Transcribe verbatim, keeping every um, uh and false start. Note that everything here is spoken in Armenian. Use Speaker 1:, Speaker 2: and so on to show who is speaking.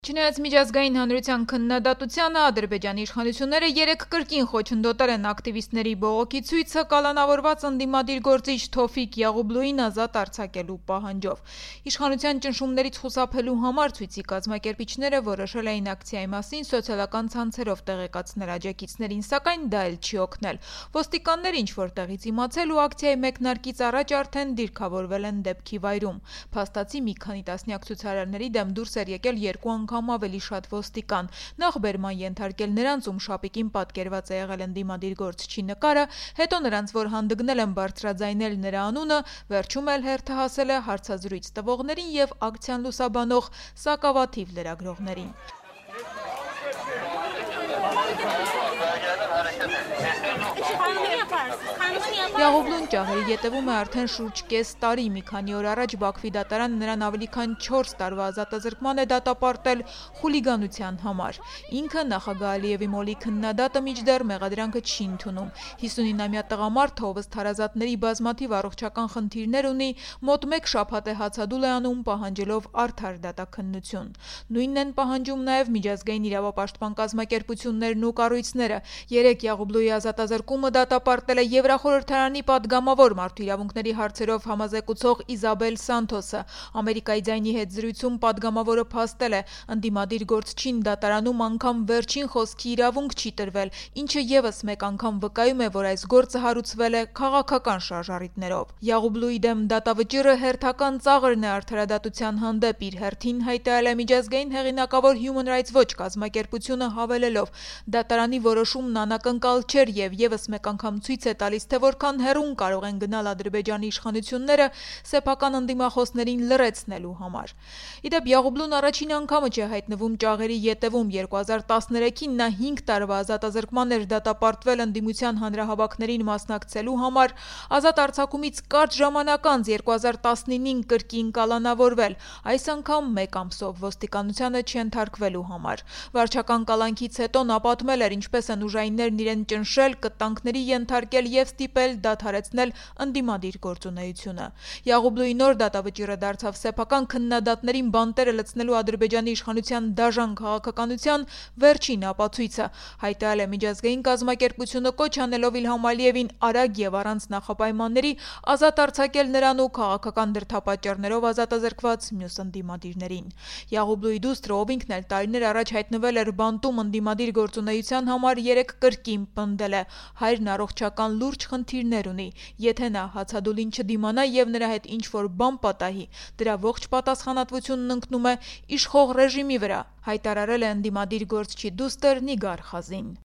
Speaker 1: Չնայած միջազգային հանրության քննադատությանը, Ադրբեջանի իշխանությունները երեկ կրկին խոչընդոտել են ակտիվիստների բողոքի ցույցը կալանավորված ընդդիմադիր գործիչ Թոֆիկ Յաղուբլուին ազատ արձակելու պահանջով։ Իշխանության ճնշումներից խուսափելու համար ցույցի կազմակերպիչները որոշել էին ակցիայի մասին սոցիալական ցանցերով տեղեկացնել աջակիցներին, սակայն դա էլ չի օգնել։ Ոստիկանները ինչ-որ տեղից իմացել ու ակցիայի մեկնարկից առաջ արդեն դիրքավորվել են դեպքի վայրում։ Փաստացի մի քանի տասնյակ ցուցարարների դեմ դուրս էր եկել երկու անգամ ավելի շատ ոստիկան, նախ բերման ենթարկել նրանց, ում շապիկին պատկերված է եղել ընդդիմադիր գործչի նկարը, հետո նրանց, որ հանդգնել են բարձրաձայնել նրա անունը, վերջում էլ հերթը հասել է հարցազրույց տվողներին և ակցիան լուսաբանող սակավաթիվ լրագրողներին։ Յաղուբլուն ճաղերի ետևում է արդեն շուրջ կես տարի, մի քանի օր առաջ Բաքվի դատարանը նրան ավելի քան չորս տարվա ազատազրկման է դատապարտել խուլիգանության համար։ Ինքը նախագահ Ալիևի մոլի քննադատը մինչդեռ մեղադրանքը չի ընդունում։ հիսունինամյա տղամարդը, ով ըստ հարազատների բազմաթիվ առողջական խնդիրներ ունի, մոտ մեկ շաբաթ է հացադուլ է անում, պահանջելով արդար դատաքննություն։ Նույնն են պահանջում նաև միջազգային իրավապաշտպան կազմակերպություններն ու կառույցները։ Երեկ Յաղուբլուի ազատազրկումը դատապարտել է Եվրախորհրդարանի պատգամավոր մարդու իրավունքների հարցերով համազեկուցող Իզաբել Սանթոսը։ Ամերիկայի ձայնի հետ զրույցում պատգամավորը փաստել է, ընդդիմադիր գործչին դատարանում անգամ վերջին խոսքի իրավունք չի տրվել, ինչը ևս մեկ անգամ վկայում է, որ այս գործը հարուցվել է քաղաքական շարժառիթներով։ Յաղուբլուի դեմ դատավճիռը հերթական ծաղրն է արդարադատության հանդեպ, իր հերթին հայտարարել է միջազգային հեղինակավոր Human Rights Watch կազմակերպությունը, հավելելով. դատարանի որոշումն անակնկալ չէր և ևս մեկ անգամ ցույց է տալիս, թե որքան հեռուն կարող են գնալ Ադրբեջանի իշխանությունները սեփական ընդդիմախոսներին լռեցնելու համար։ Իդեպ Յաղուբլուն առաջին անգամը չէ հայտնվում ճաղերի ետևում։ երկու հազար տասներեքին նա հինգ տարվա ազատազրկման էր դատապարտվել ընդդիմության հանրահավաքներին մասնակցելու համար, ազատ արձակումից կարճ ժամանակ անց երկու հազար տասնինին կրկին կալանավորվել, այս անգամ մեկ ամսով ոստիկանությանը չենթարկվելու համար։ Վարչական կալանքից հետո նա պատմել էր, ինչպես են ուժայիններն իրեն ճնշել, կտանքների ենթարկել և ստիպել դադարեցնել ընդդիմադիր գործունեությունը։ Յաղուբլուի նոր դատավճիռը դարձավ սեփական քննադատներին բանտերը լցնելու Ադրբեջանի իշխանության դաժան քաղաքականության վերջին ապացույցը, հայտարարել է միջազգային կազմակերպությունը, կոչ անելով Իլհամ Ալիևին արագ և առանց նախապայմանների ազատ արձակել նրան ու քաղաքական դրդապատճառներով ազատազրկված մյուս ընդդիմադիրներին։ Յաղուբլուի դուստրը, ով ինքն էլ տարիներ առաջ հայտնվել էր բանտում ընդդիմադիր գործունեության համար, երեկ կրկին պնդել է. հայրն առողջական լուրջ խնդիրներ ունի, եթե նա հացադուլին չդիմանա և նրա հետ ինչ-որ բան պատահի, դրա ողջ պատասխանատվությունն ընկնում է իշխող ռեժիմի վրա, հայտարարել է ընդդիմադիր գործչի դուստր Նիգար Խազին։